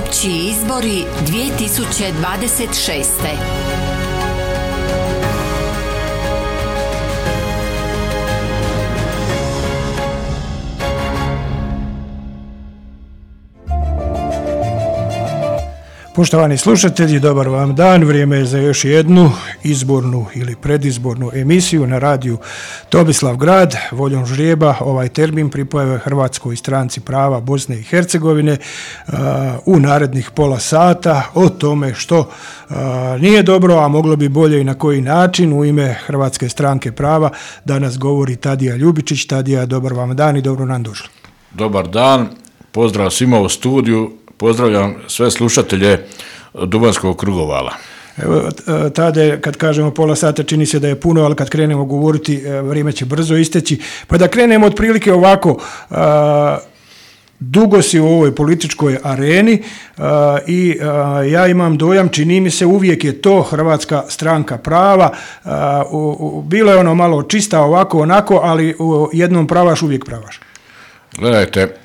Opći izbori 2026. Poštovani slušatelji, dobar vam dan. Vrijeme je za još jednu izbornu ili predizbornu emisiju na radiju Tomislavgrad. Voljom žrijeba ovaj termin pripoje Hrvatskoj stranci prava Bosne i Hercegovine u narednih pola sata o tome što nije dobro, a moglo bi bolje i na koji način. U ime Hrvatske stranke prava danas govori Tadija Ljubičić. Tadija, dobar vam dan i dobro nam došli. Dobar dan, pozdrav svima u studiju. Pozdravljam sve slušatelje Duvanskog krugovala. Evo, Tade, kad kažemo pola sata čini se da je puno, ali kad krenemo govoriti vrijeme će brzo isteći. Pa da krenemo otprilike ovako, dugo si u ovoj političkoj areni i ja imam dojam, čini mi se uvijek je to Hrvatska stranka prava. Bilo je ono malo čista ovako onako, ali jednom pravaš, uvijek pravaš. Gledajte,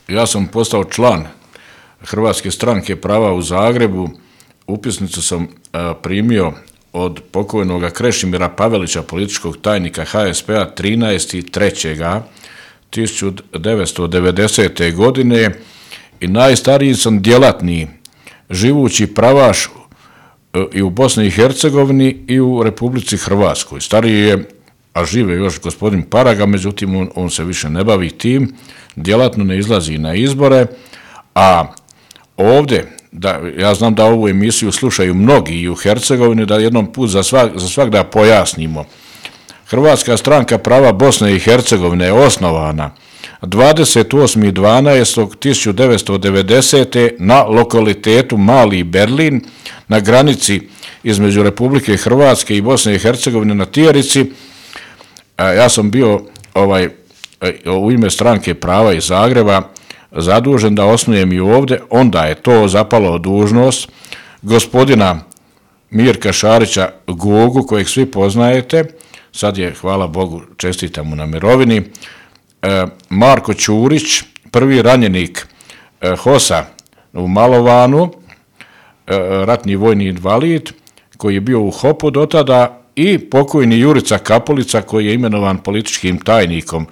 ja sam postao član Hrvatske stranke prava u Zagrebu. Upisnicu sam primio od pokojnog Krešimira Pavelića, političkog tajnika HSP-a 13.3.1990. godine i najstariji sam djelatni živući pravaš i u Bosni i Hercegovini i u Republici Hrvatskoj. Stariji je, a žive još gospodin Paraga, međutim on se više ne bavi tim, djelatno ne izlazi na izbore, a ovdje, ja znam da ovu emisiju slušaju mnogi i u Hercegovini, da jednom put za svak da pojasnimo. Hrvatska stranka prava Bosne i Hercegovine je osnovana 28.12.1990. na lokalitetu Mali Berlin, na granici između Republike Hrvatske i Bosne i Hercegovine na Tijarici. Ja sam bio u ime stranke prava iz Zagreba zadužen da osnujem i ovdje, onda je to zapalo dužnost gospodina Mirka Šarića Gogu, kojeg svi poznajete, sad je, hvala Bogu, čestitam mu na mirovini, Marko Ćurić, prvi ranjenik HOS-a u Malovanu, ratni vojni invalid, koji je bio u HOP-u do tada, i pokojni Jurica Kapolica, koji je imenovan političkim tajnikom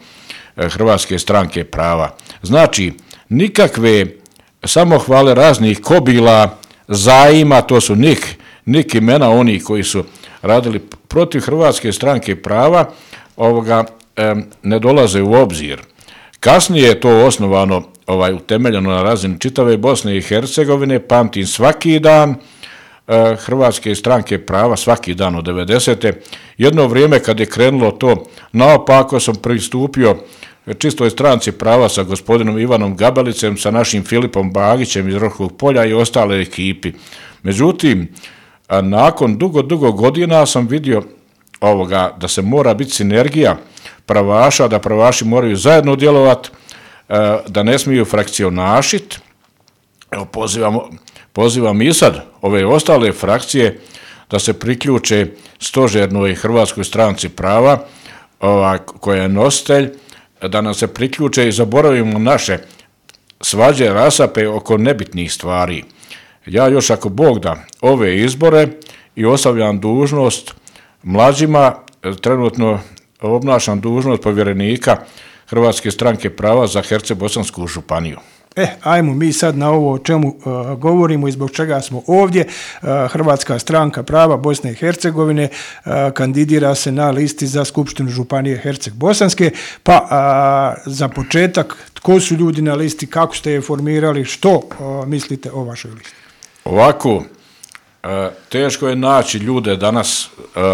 Hrvatske stranke prava. Znači, nikakve samohvale raznih kobila, zajima, to su nik imena oni koji su radili protiv Hrvatske stranke prava, ne dolaze u obzir. Kasnije je to osnovano, utemeljeno na razini čitave Bosne i Hercegovine, pamtim svaki dan Hrvatske stranke prava, svaki dan od 90. Jedno vrijeme kad je krenulo to naopako, sam pristupio čistoj stranci prava sa gospodinom Ivanom Gabelicem, sa našim Filipom Bagićem iz Roškog polja i ostale ekipi. Međutim, nakon dugo godina sam vidio da se mora biti sinergija pravaša, da pravaši moraju zajedno djelovati, da ne smiju frakcionašiti. Evo, pozivam i sad ove ostale frakcije da se priključe stožernoj Hrvatskoj stranci prava, koja je nositelj, da nam se priključe i zaboravimo naše svađe, rasape oko nebitnih stvari. Ja još, ako Bog da, ove izbore i ostavljam dužnost mlađima, trenutno obnašam dužnost povjerenika Hrvatske stranke prava za Herceg-Bosansku županiju. Ajmo mi sad na ovo o čemu govorimo i zbog čega smo ovdje. Hrvatska stranka prava Bosne i Hercegovine kandidira se na listi za Skupštinu županije Herceg-Bosanske, pa za početak, tko su ljudi na listi, kako ste je formirali, što mislite o vašoj listi? Ovako, teško je naći ljude danas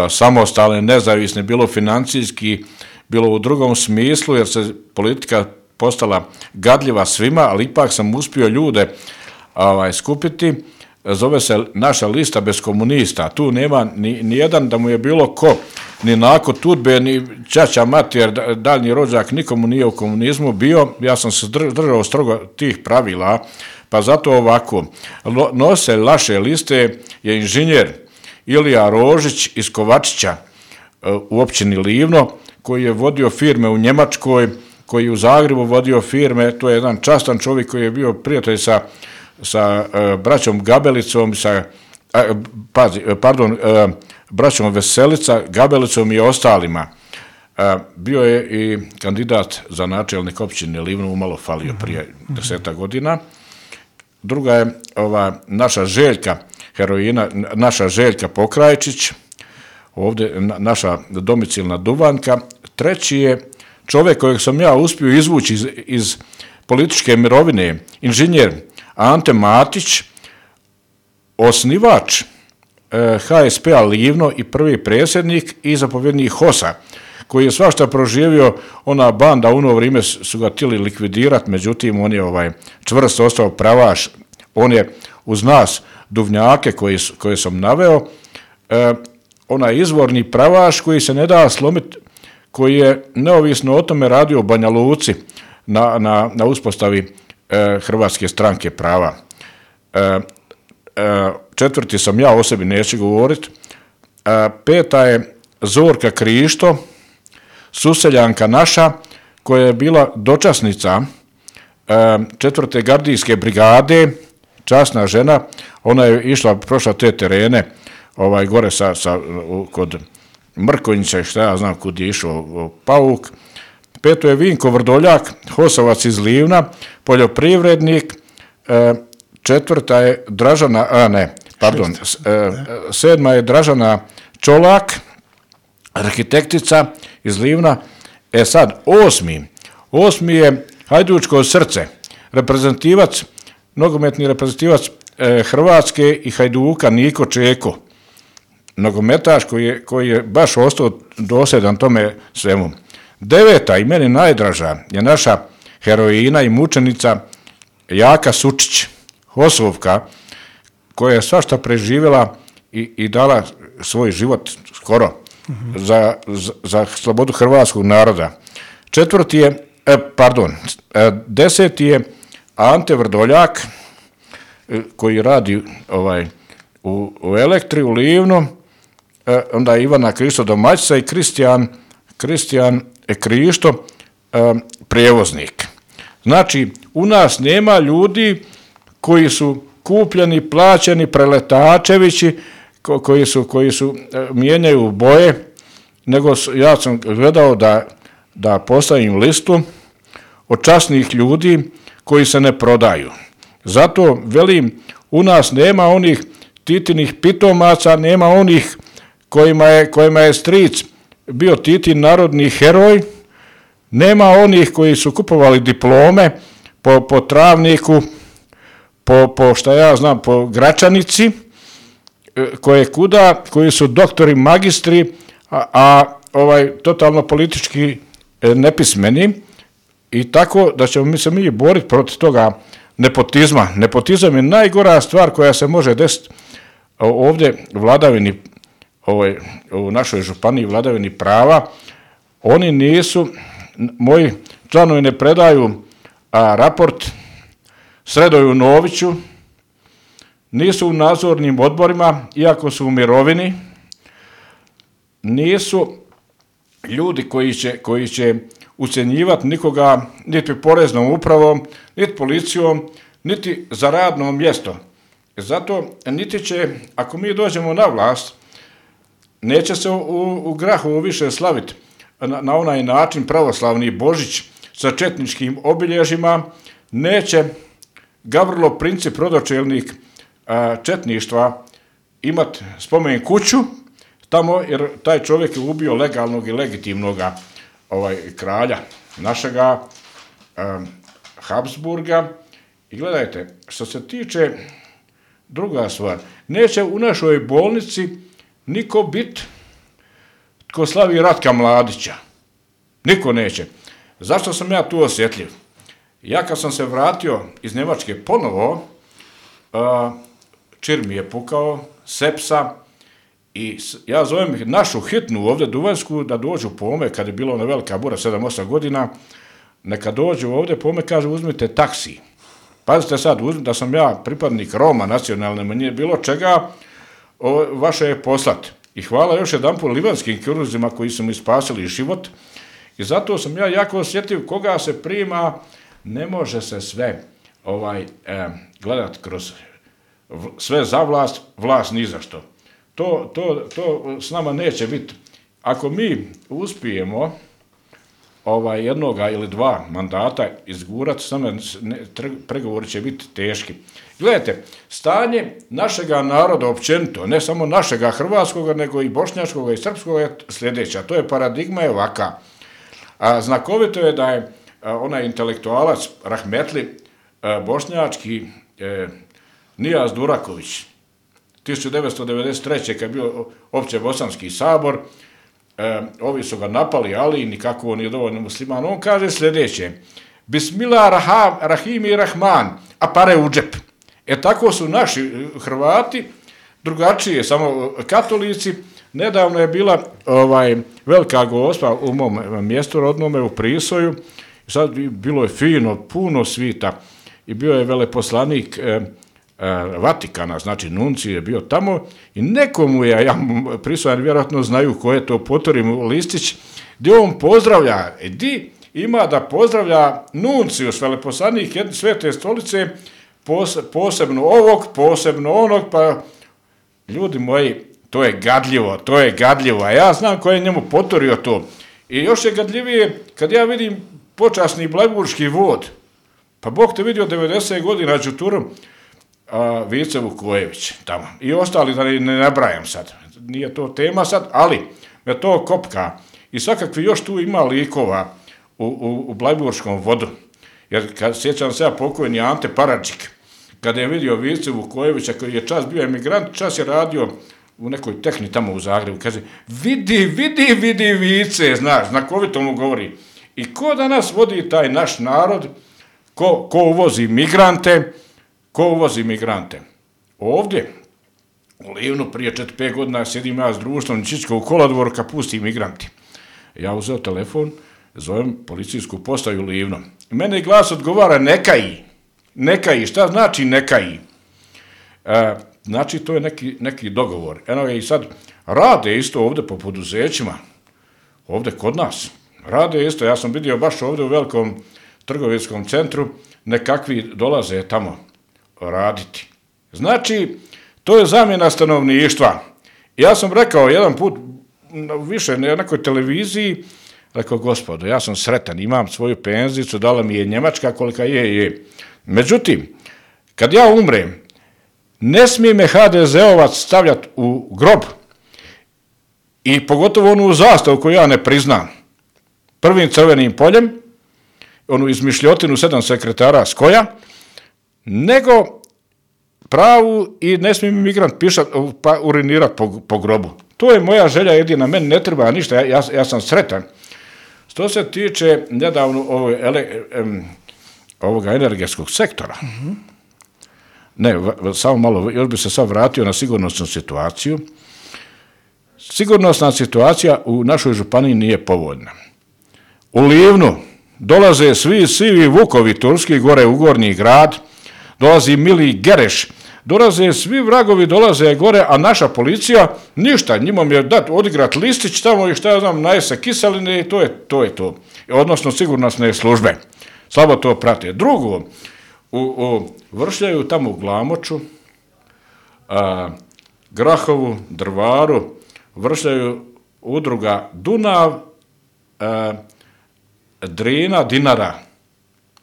samostalne, nezavisne, bilo financijski, bilo u drugom smislu, jer se politika postala gadljiva svima, ali ipak sam uspio ljude skupiti. Zove se naša lista bez komunista. Tu nema ni jedan da mu je bilo ko, ni Nako Tudbe, ni ćaća mati, jer daljnji rođak nikomu nije u komunizmu bio. Ja sam se držao strogo tih pravila, pa zato ovako. Nositelj naše liste je inženjer Ilija Rožić iz Kovačića u općini Livno, koji je vodio firme u Njemačkoj, koji je u Zagrebu vodio firme. To je jedan častan čovjek koji je bio prijatelj sa sa braćom Gabelicom, braćom Veselica, Gabelicom i ostalima. Bio je i kandidat za načelnik općine Livno, umalo falio prije 10 godina. Druga je naša Željka heroina, naša Željka Pokrajčić, ovdje naša domicilna Duvanka. Treći je čovjek kojeg sam ja uspio izvući iz političke mirovine, inženjer Ante Matić, osnivač HSP-a Livno i prvi predsjednik i zapovjednik HOS-a, koji je svašta proživio. Ona banda u ono vrijeme su ga htjeli likvidirati, međutim on je čvrsto ostao pravaš. On je uz nas duvnjake koje sam naveo, onaj izvorni pravaš koji se ne da slomiti, koji je neovisno o tome radio u Banja Luci na uspostavi Hrvatske stranke prava. Četvrti sam ja, o sebi neću govoriti. Peta je Zorka Krišto, suseljanka naša, koja je bila dočasnica 4. gardijske brigade, časna žena. Ona je išla, prošla te terene, gore kod Mrkonjića, šta ja znam kud je išao Pauk. Peto je Vinko Vrdoljak, Hosovac iz Livna, poljoprivrednik. Četvrta je sedma je Dražana Čolak, arhitektica iz Livna. Sad, osmi je Hajdučko srce, nogometni reprezentativac Hrvatske i Hajduka Niko Čeko, nogometaš koji je baš ostao dosljedan tome svemu. Deveta i meni najdraža je naša heroina i mučenica Jaka Sučić, Hosovka, koja je svašta preživjela i dala svoj život skoro za slobodu hrvatskog naroda. Deseti je Ante Vrdoljak, koji radi u Elektri u Livnu, onda Ivana Krišto domaćica i Kristijan Krišto, prijevoznik. Znači, u nas nema ljudi koji su kupljeni, plaćeni, preletačevići, koji su mijenjaju boje, nego ja sam gledao da postavim listu od časnih ljudi koji se ne prodaju. Zato velim, u nas nema onih Titinih pitomaca, nema onih kojima je stric bio Titin narodni heroj, nema onih koji su kupovali diplome po Travniku, po šta ja znam, po Gračanici, koji su doktori, magistri, a totalno politički nepismeni, i tako da ćemo se mi boriti protiv toga nepotizma. Nepotizam je najgora stvar koja se može desiti ovdje vladavini, u našoj županiji vladavini prava. Oni nisu, moji članovi ne predaju raport Sredoju Noviću, nisu u nadzornim odborima, iako su u mirovini, nisu ljudi koji će ucjenjivati nikoga niti poreznom upravom, niti policijom, niti za radno mjesto. Zato niti će, ako mi dođemo na vlast, neće se u Grahovu više slaviti na onaj način pravoslavni Božić sa četničkim obilježjima, neće Gavrilo Princip, rodočelnik četništva, imati spomen kuću tamo, jer taj čovjek je ubio legalnog i legitimnog kralja našega Habsburga. I gledajte, što se tiče druga stvar, neće u našoj bolnici niko biti tko slavi Ratka Mladića. Niko neće. Zašto sam ja tu osjetljiv? Ja kad sam se vratio iz Njemačke ponovo, čir mi je pukao, sepsa, i ja zovem našu hitnu ovdje Duvanjsku da dođu po me, kad je bila ona velika bura, 7-8 godina, neka dođu ovdje po me, kaže uzmite taksi. Pazite sad, da sam ja pripadnik Roma, nacionalne manjine, bilo čega, vaše je poslat. I hvala još jedanput livanskim kiruzima koji su mi spasili život. I zato sam ja jako osjetljiv koga se prima, ne može se sve. gledati kroz sve za vlast, vlast ni za što. To s nama neće biti. Ako mi uspijemo jednoga ili dva mandata izgurati, samo pregovori će biti teški. Gledajte, stanje našega naroda općenito, ne samo našega hrvatskoga, nego i bošnjačkoga i srpskoga je sljedeća. To je paradigma je ovaka. Znakovito je da je onaj intelektualac rahmetli bošnjački Nijaz Duraković 1993. kad je bio opće bosanski sabor, ovi su ga napali, ali nikako on nije dovoljno musliman. On kaže sljedeće: Bismillah rahimi rahman, a pare u džep. Tako su naši Hrvati, drugačije, samo katolici. Nedavno je bila velika gospa u mom mjestu rodnome u Prisoju. Sad bilo je fino, puno svita i bio je veleposlanik Vatikana, znači Nunci je bio tamo i nekomu je, ja Prisojan vjerojatno znaju ko je to, potorim listić, gdje on pozdravlja, di ima da pozdravlja Nuncijus, veleposlanik Svete stolice, posebno ovog, posebno onog, pa ljudi moji, to je gadljivo, a ja znam ko je njemu potorio to. I još je gadljivije kad ja vidim počasni blajburški vod, pa Bog te vidio 90 godina Đuturom, Vice Vukojević tamo i ostali, da ne nabrajam sad, nije to tema sad, ali me to kopka i svakakvi još tu ima likova u blajburškom vodu, jer sjećam se ja pokojni Ante Paradžik, kada je vidio Vice Vukojevića koji je čas bio emigrant, čas je radio u nekoj tehni tamo u Zagrebu, kaže vidi Vice, znakovito mu govori. I ko danas vodi taj naš narod, ko uvozi migrante? Ovdje, u Livnu, prije 4-5 godina sjedim ja s društvom Čička u kolodvoru kad pusti migranti. Ja uzeo telefon, zovem policijsku postaju Livno. Mene glas odgovara nekaji, šta znači nekaji? Znači to je neki dogovor. Eno je i sad rade isto ovdje po poduzećima, ovdje kod nas. Rade isto, ja sam vidio baš ovdje u velikom trgovinskom centru, nekakvi dolaze tamo raditi. Znači, to je zamjena stanovništva. Ja sam rekao jedan put, više na nekoj televiziji, rekao, gospodo, ja sam sretan, imam svoju penzicu, dala mi je Njemačka kolika je. Međutim, kad ja umrem, ne smije me HDZ-ovac stavljati u grob i pogotovo onu zastavu koju ja ne priznam. Prvim crvenim poljem, onu izmišljotinu 7 sekretara Skoja, nego pravu i ne smije mi migrant urinirati po grobu. To je moja želja jedina, meni ne treba ništa, ja sam sretan. Što se tiče nedavno ovoga energetskog sektora, ne, samo malo, još bi se sad vratio na sigurnosnu situaciju. Sigurnosna situacija u našoj županiji nije povoljna. U Livnu dolaze svi sivi vukovi turski gore u Gornji grad, dolazi Mili Gereš, dolaze svi vragovi, dolaze gore, a naša policija ništa, njima je dat odigrat listić tamo i šta ja znam, najese kiseline i to je to. Odnosno sigurnosne službe. Slabo to prate. Drugo, u Vršljaju tamo u Glamoču, Grahovu, Drvaru, Vršljaju udruga Dunav, Drina, Dinara.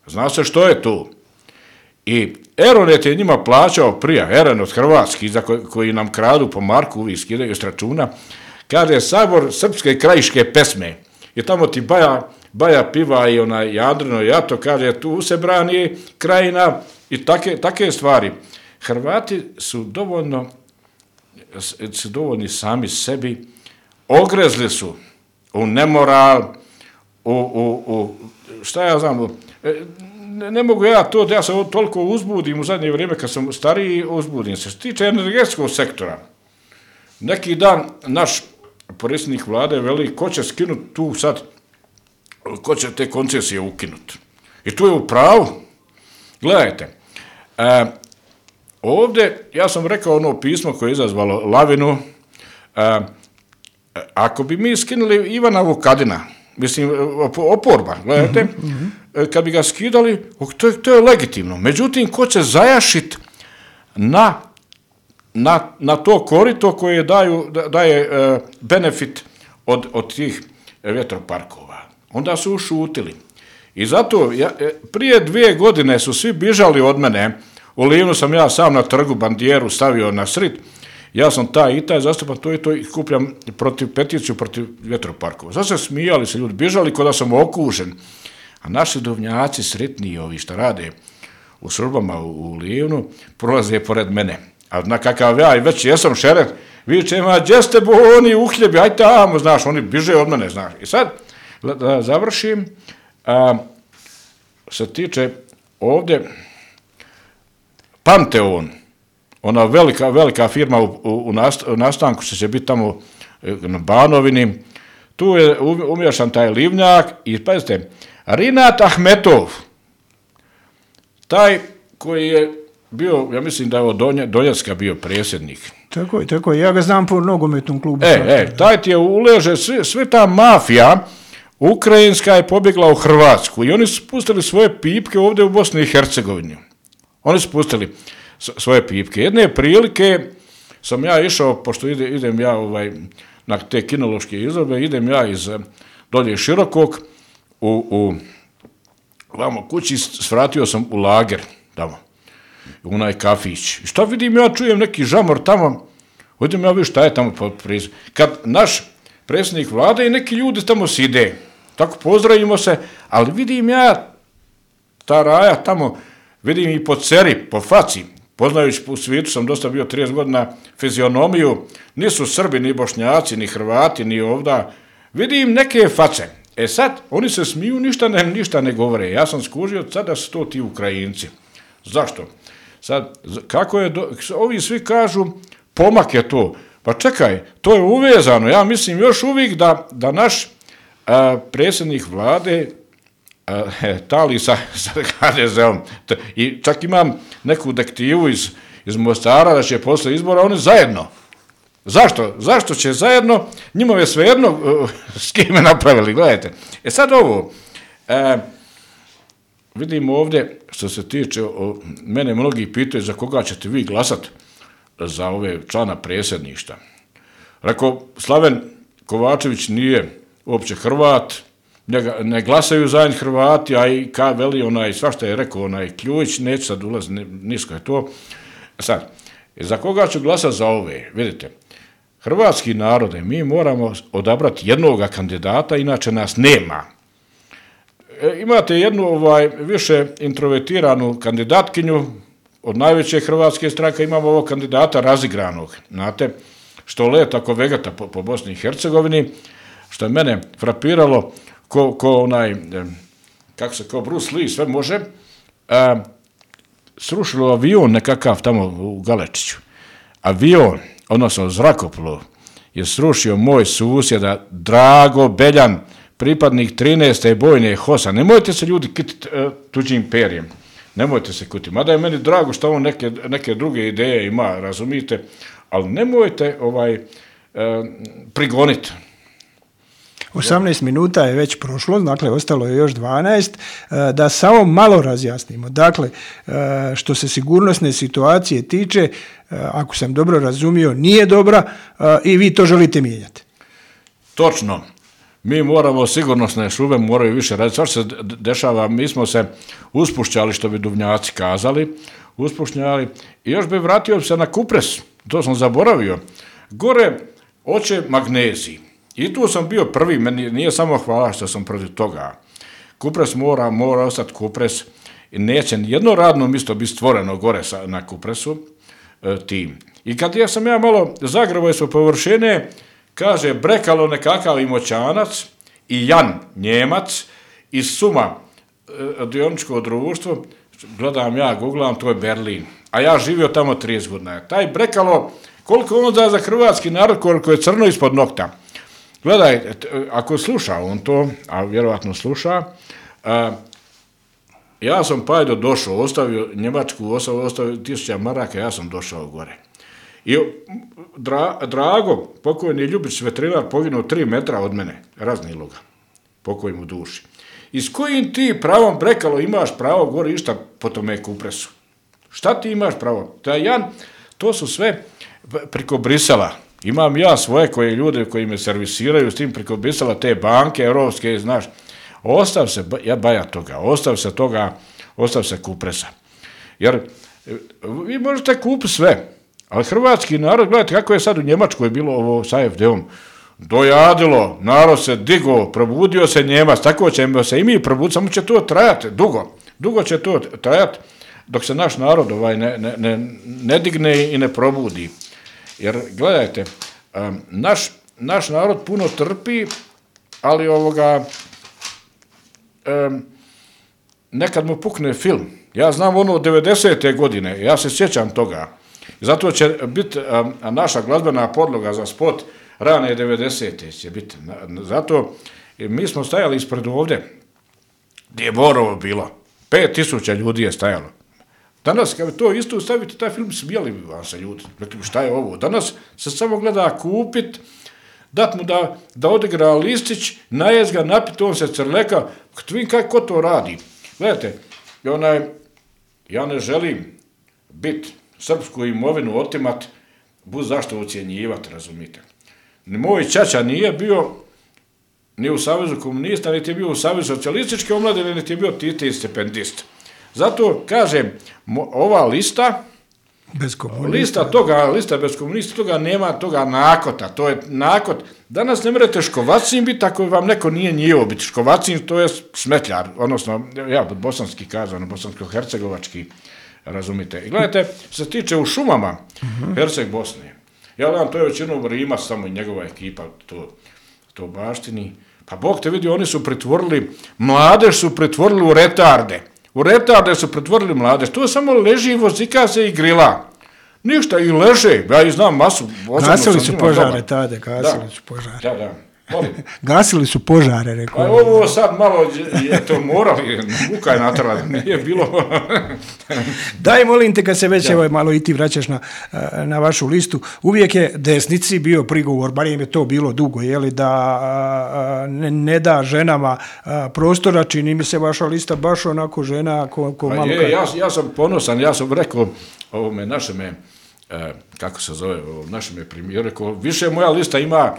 Zna se što je tu. I Eronet je njima plaćao prije, Eronet hrvatski, za koji nam kradu po marku, uvijek skidaju s računa, kaže Sabor srpske krajiške pesme. I tamo ti Baja piva i onaj Jadrino jato, kaže tu se brani krajina i take stvari. Hrvati su dovoljni sami sebi, ogrezli su u nemoral, u šta ja znam, ne mogu ja to, da ja se toliko uzbudim u zadnje vrijeme kad sam stariji, uzbudim se. Što tiče energetskog sektora, neki dan naš predsjednik vlade veli ko će skinuti tu sad, ko će te koncesije ukinuti. I tu je u pravu. Gledajte, ovdje, ja sam rekao ono pismo koje je izazvalo lavinu, ako bi mi skinuli Ivana Vukadina, mislim, oporba, gledajte, kad bi ga skidali, to je legitimno. Međutim, ko će zajašiti na to korito koje daje benefit od tih vjetroparkova. Onda su ušutili. I zato, prije 2 godine su svi bižali od mene, u Livnu sam ja sam na trgu bandijeru stavio na srid, ja sam taj zastupam to i to i skupljam peticiju protiv vjetroparkova. Sad se smijali se ljudi, bižali kod da sam okužen. A naši duvnjaci sretniji ovi što rade u Srbama u Livnu, prolaze pored mene. A na kakav ja i već jesam šeref, viče, gdje ste oni uhljebi, aj tamo, znaš, oni biže od mene, znaš. I sad, da završim, se tiče ovdje Panteon, ona velika firma u nastanku što će biti tamo na Banovini, tu je umješan taj Livnjak i pazite, Rinat Ahmetov, taj koji je bio, ja mislim da je od Donjecka bio predsjednik. Tako je, ja ga znam po nogometnom klubu. Taj ti je uleže, sve ta mafija ukrajinska je pobjegla u Hrvatsku i oni su pustili svoje pipke ovdje u Bosni i Hercegovini. Oni su pustili svoje pipke. Jedne prilike sam ja išao, pošto idem ja na te kinološke izložbe, idem ja iz dolje Širokog u kući, svratio sam u lager tamo, u onaj kafić. I šta vidim, ja čujem neki žamor tamo, idem ja vidim šta je tamo prizu. Kad naš predsjednik vlade i neki ljudi tamo side, tako pozdravimo se, ali vidim ja ta raja tamo, vidim i po ceri, po faci, poznajući u svijetu sam dosta bio 30 godina fizionomiju, nisu Srbi, ni Bošnjaci, ni Hrvati, ni ovda, vidim neke face. Sad, oni se smiju, ništa ne govore. Ja sam skužio sad da su to ti Ukrajinci. Zašto? Sad, kako je, ovi svi kažu, pomak je to. Pa čekaj, to je uvezano. Ja mislim još uvijek da naš predsjednik vlade tali sa HDZ-om. I čak imam neku dektivu iz Mostara da će posle izbora oni zajedno. Zašto? Zašto će zajedno? Njima je svejedno s kime napravili, gledajte. Sad ovo, vidim ovdje, što se tiče, mene mnogi pitaju za koga ćete vi glasati za ove člana predsjedništva. Rekao, Slaven Kovačević nije uopće Hrvat, ne glasaju za Hrvati, a i veli svašta je rekao Kljujić, neće sad ulaziti, nisko je to. Sad, za koga ću glasati za ove? Vidite, hrvatski narode, mi moramo odabrati jednoga kandidata, inače nas nema. Imate jednu više introvertiranu kandidatkinju, od najveće hrvatske stranke imamo ovog kandidata razigranog, znate, što leta ko vegeta po Bosni i Hercegovini, što je mene frapiralo, kao Bruce Lee, sve može, srušilo avion nekakav tamo u Galečiću. Avion, odnosno zrakoplov, je srušio moj susjeda Drago Beljan, pripadnik 13. bojne HOS-a. Nemojte se ljudi kititi tuđim perjem. Nemojte se kutiti. Mada je meni drago što on neke druge ideje ima, razumijete, ali nemojte prigoniti. 18 minuta je već prošlo, dakle ostalo je još 12, da samo malo razjasnimo. Dakle, što se sigurnosne situacije tiče, ako sam dobro razumio, nije dobra i vi to želite mijenjati. Točno. Mi moramo, sigurnosne šube moraju više raditi. Svašta se dešava, mi smo se uspušćali, što bi duvnjaci kazali, uspušćali. I još bi vratio se na kupres, to sam zaboravio. Gore oće magnezij. I tu sam bio prvi, meni nije samo hvala što sam protiv toga. Kupres mora ostati kupres i neće jedno radno mjesto biti stvoreno gore na kupresu tim. I kad sam ja malo zagravo smo površine, kaže Brekalo nekakav Imoćanac i Jan Njemac iz Suma dioničko društvo, gledam ja, googlam, to je Berlin. A ja živio tamo 30 godina. Taj Brekalo, koliko on da za hrvatski narod, koliko je crno ispod nokta. Gledaj, ako sluša on to, a vjerovatno sluša, ja sam Pajdo došao, ostavio Njemačku, ostavio 1000 maraka, ja sam došao gore. I Drago, pokojni Ljubić, veterinar, poginuo 3 metra od mene, raznilo ga. pokoj mu duši. I s kojim ti pravom, Brekalo, imaš pravo gore išta po tome Kupresu? Šta ti imaš pravo? To su sve preko Brisela. Imam ja svoje koje ljude koji me servisiraju s tim preko Brisela, te banke europske, znaš. Ostav se, ja baja toga, ostav se Kupresa. Jer vi možete kupiti sve, ali hrvatski narod, gledajte kako je sad u Njemačkoj bilo ovo sa AfD-om, dojadilo, narod se digo, probudio se Njemac, tako ćemo se i mi probuditi, samo će to trajati dugo će to trajati dok se naš narod ne digne i ne probudi. Jer gledajte, naš narod puno trpi, ali nekad mu pukne film. Ja znam ono 90. godine, ja se sjećam toga. Zato će biti naša glazbena podloga za spot rane 90. će biti. Zato mi smo stajali ispred ovdje, gdje je Borovo bilo. 5000 ljudi je stajalo. Danas, kad to isto stavite, taj film smijeli bi vam se ljudi. Šta je ovo? Danas se samo gleda kupit, dat mu da odigra listić, najez ga, napit, on se crleka. Kako to radi? Gledajte, ja ne želim biti srpsku imovinu otimat, bud zašto ucijenjivati, razumite. Moj ćaća nije bio ni u Savezu komunista, niti je bio u Savezu socijalističke omladine, niti je bio Titov stipendist. Zato, kažem, ova lista bez komunista, toga nema toga nakota, to je nakot. Danas ne morate škovacin biti ako vam neko nije njivo biti. Škovacin to je smetljar, odnosno, bosanski kazano, bosansko-hercegovački, razumite. I gledajte, što se tiče u šumama Herceg Bosne, ja gledam, to je većinom Rimac, samo i njegova ekipa to baštini. Pa Bog te vidi, oni su pretvorili, mladež su pretvorili u retarde. U retarde su pretvorili mladež. To samo leži, vozika se i grila. Ništa, i leže. Ja i znam masu. Gasili su požare tada, Da. Gasili su požare, rekao. A ovo sad malo je to morali, muka je natrala, nije bilo. Daj, molim te, kad se već malo i ti vraćaš na vašu listu, uvijek je desnici bio prigovor, bar im je to bilo dugo, da ne da ženama prostora, čini mi se vaša lista baš onako žena ko malo... Ja sam ponosan, ja sam rekao ovome našeme, kako se zove, našem je premijer, rekao, više moja lista ima,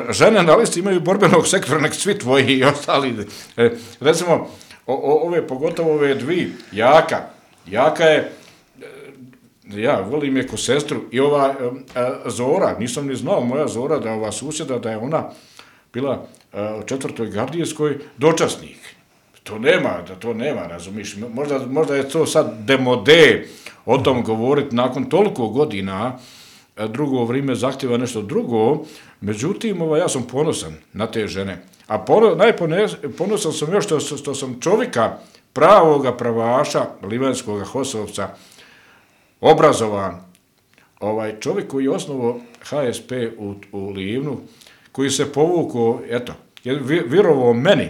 žene na listi imaju borbenog sektora, nek svi tvoji i ostali. Recimo, pogotovo ove dvi, Jaka je, ja volim je ko sestru, i ova Zora, nisam ni znao, moja Zora, da ova susjeda, da je ona bila u 4. gardijskoj dočasnik. To nema, razumiš, možda je to sad demode o tom govoriti nakon toliko godina, drugo vrijeme zahtjeva nešto drugo, međutim, ja sam ponosan na te žene. A najponosan sam još što sam čovjeka, pravoga pravaša, livanskoga Hosovca, obrazovan, čovjek koji je osnovao HSP u Livnu, koji se povukao, je vjerovao meni.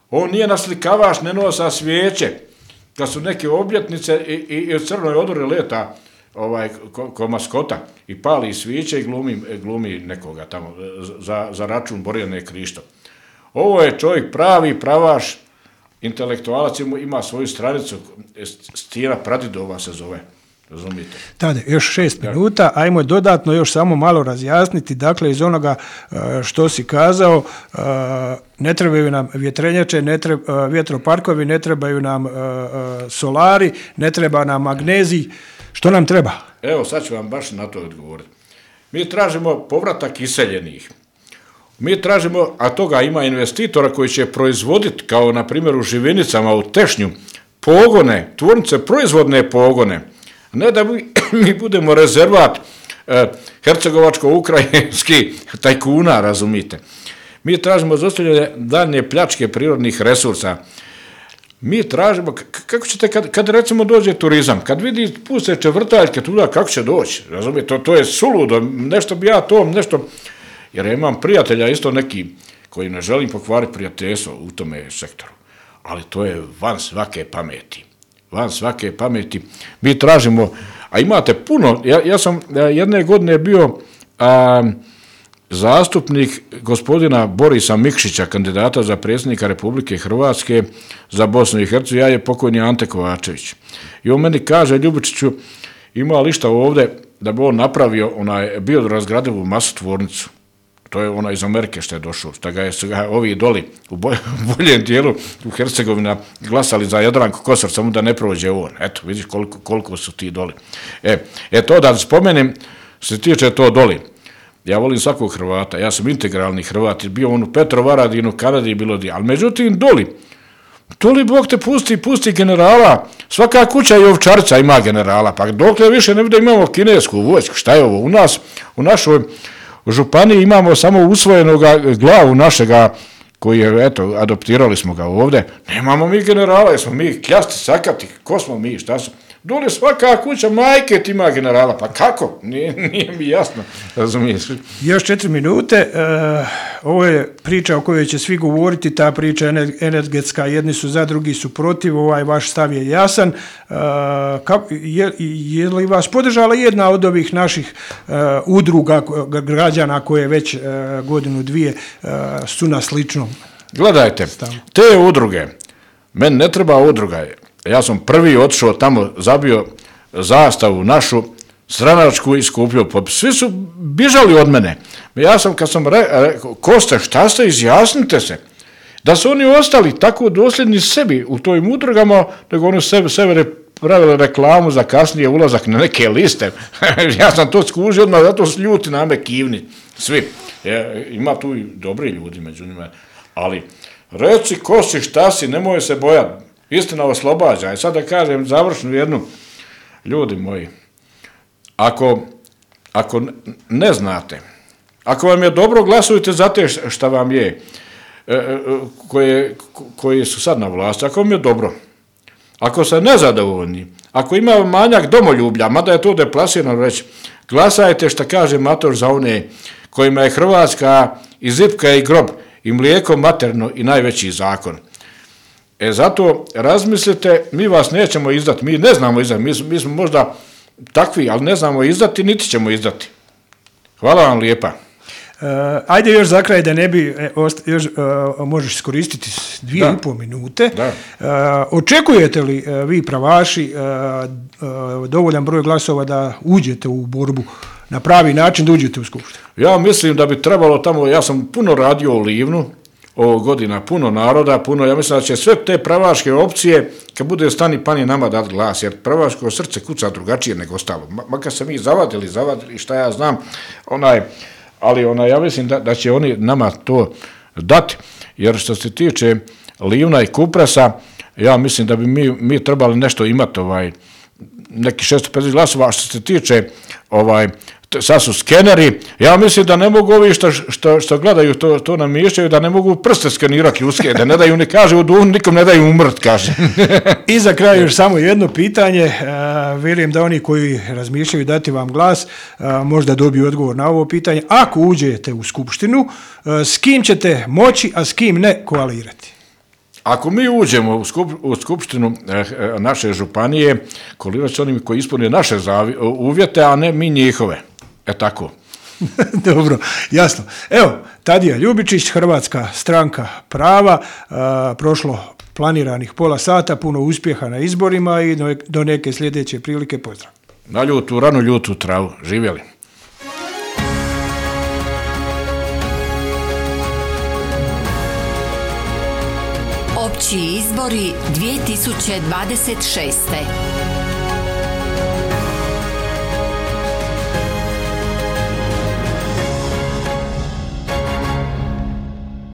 On nije naslikavaš, ne nosa svijeće. Kad su neke obljetnice i u Crnoj Odori leta ko maskota i pali svijeće i glumi nekoga tamo za račun Borjane Krišto. Ovo je čovjek pravi pravaš, intelektualac, ima svoju stranicu, Stijena Pradidova se zove. Razumite. Tade, još 6 minuta, ajmo dodatno još samo malo razjasniti, dakle iz onoga što si kazao, ne trebaju nam vjetrenjače, vjetroparkovi, ne trebaju nam solari, ne treba nam magnezij, što nam treba? Evo, sad ću vam baš na to odgovoriti. Mi tražimo povratak iseljenih. Mi tražimo, a toga ima investitora koji će proizvoditi, kao na primjer u Živinicama, u Tešnju, pogone, tvornice, proizvodne pogone. Ne da mi budemo rezervat hercegovačko-ukrajinski tajkuna, razumite. Mi tražimo zaustavljanje daljnje pljačke prirodnih resursa. Mi tražimo, kako ćete, kad recimo dođe turizam, kad vidi puste čevrtaljke tuda, kako će doći, razumite, to je suludo, nešto bi ja to, nešto, jer ja imam prijatelja isto neki, koji ne želim pokvariti prijateljstvo u tome sektoru, ali to je van svake pameti. Mi tražimo, a imate puno, ja sam jedne godine bio zastupnik gospodina Borisa Mikšića, kandidata za predsjednika Republike Hrvatske za Bosnu i Hercegovinu, ja je pokojni Ante Kovačević. I on meni kaže, Ljubičiću, ima li šta ovdje da bi on napravio biorazgradivu masu tvornicu? To je ona iz Amerike što je došao, što ga je ovi doli u boljem dijelu u Hercegovina glasali za Jadranku Kosor, samo da ne prođe on. Eto, vidiš koliko su ti doli. To da spomenem, se tiče to doli. Ja volim svakog Hrvata, ja sam integralni Hrvat, bio on u Petrovaradinu, Kanadi, bilo di, ali međutim doli Bog te pusti generala, svaka kuća i ovčarca ima generala, pa dokle više ne bude imamo kinesku vojsku, šta je ovo? U nas, u našoj županiji imamo samo usvojenog glavu našega, koji je, eto, adoptirali smo ga ovdje, nemamo mi generala, jesmo mi kljasti, sakati, ko smo mi, šta smo? Dole svaka kuća majke ima generala, pa kako? Nije mi jasno, razumiješ. Još 4 minute, ovo je priča o kojoj će svi govoriti, ta priča energetska, jedni su za, drugi su protiv, vaš stav je jasan. Je li vas podržala jedna od ovih naših udruga građana koje već godinu, dvije su na sličnom? Gledajte, te udruge, meni ne treba udruga, ja sam prvi otišao tamo, zabio zastavu našu, stranačku i skupljao popis. Svi su bižali od mene. Ja sam, kad sam rekao, Kosta, šta ste, izjasnite se. Da su oni ostali tako dosljedni sebi u tojim udrugama, nego oni sebe pravili reklamu za kasnije ulazak na neke liste. Ja sam to skužio odmah, zato su ljuti na me kivni. Svi. Ima tu i dobri ljudi među njima. Ali, reci Kosti, šta si, nemoj se bojati. Istina oslobađa. I sad da kažem završnu jednu, ljudi moji, ako ne znate, ako vam je dobro, glasujte za te šta vam je, koji su sad na vlasti, ako vam je dobro, ako ste nezadovoljni, ako ima manjak domoljublja, mada je to deplasirano reći, glasajte šta kaže Matoš za one kojima je Hrvatska i zipka i grob i mlijeko materno i najveći zakon. Zato razmislite, mi vas nećemo izdati, mi ne znamo izdati, mi smo možda takvi, ali ne znamo izdati, niti ćemo izdati. Hvala vam lijepa. Ajde još za kraj da ne bi, možeš iskoristiti 2,5 minute. Očekujete li vi pravaši dovoljan broj glasova da uđete u borbu na pravi način, da uđete u skupštinu? Ja mislim da bi trebalo tamo, ja sam puno radio u Livnu, ovog godina, puno naroda, ja mislim da će sve te pravaške opcije, kad bude stani pani nama dati glas, jer pravaško srce kuca drugačije nego ostalo. Makar se mi zavadili, šta ja znam, ali ja mislim da će oni nama to dati, jer što se tiče Livna i Kupresa, ja mislim da bi mi trebali nešto imati, neki 650 glasova, a što se tiče sad su skeneri, ja mislim da ne mogu ovi što gledaju to namišljaju, da ne mogu prste skenirati ljudske, da ne daju, ne kaže u duhu, nikom ne daju umrt, kaže. I za kraj još samo jedno pitanje, vjerujem da oni koji razmišljaju dati vam glas, možda dobiju odgovor na ovo pitanje. Ako uđete u skupštinu, s kim ćete moći, a s kim ne koalirati? Ako mi uđemo u skupštinu naše županije, koalirati s onimi koji ispune naše uvjete, a ne mi njihove. Tako. Dobro, jasno. Evo, Tadija Ljubičić, Hrvatska stranka prava, prošlo planiranih pola sata, puno uspjeha na izborima i do neke sljedeće prilike, pozdrav. Na ljutu, ranu ljutu travu, živjeli. Opći izbori 2026.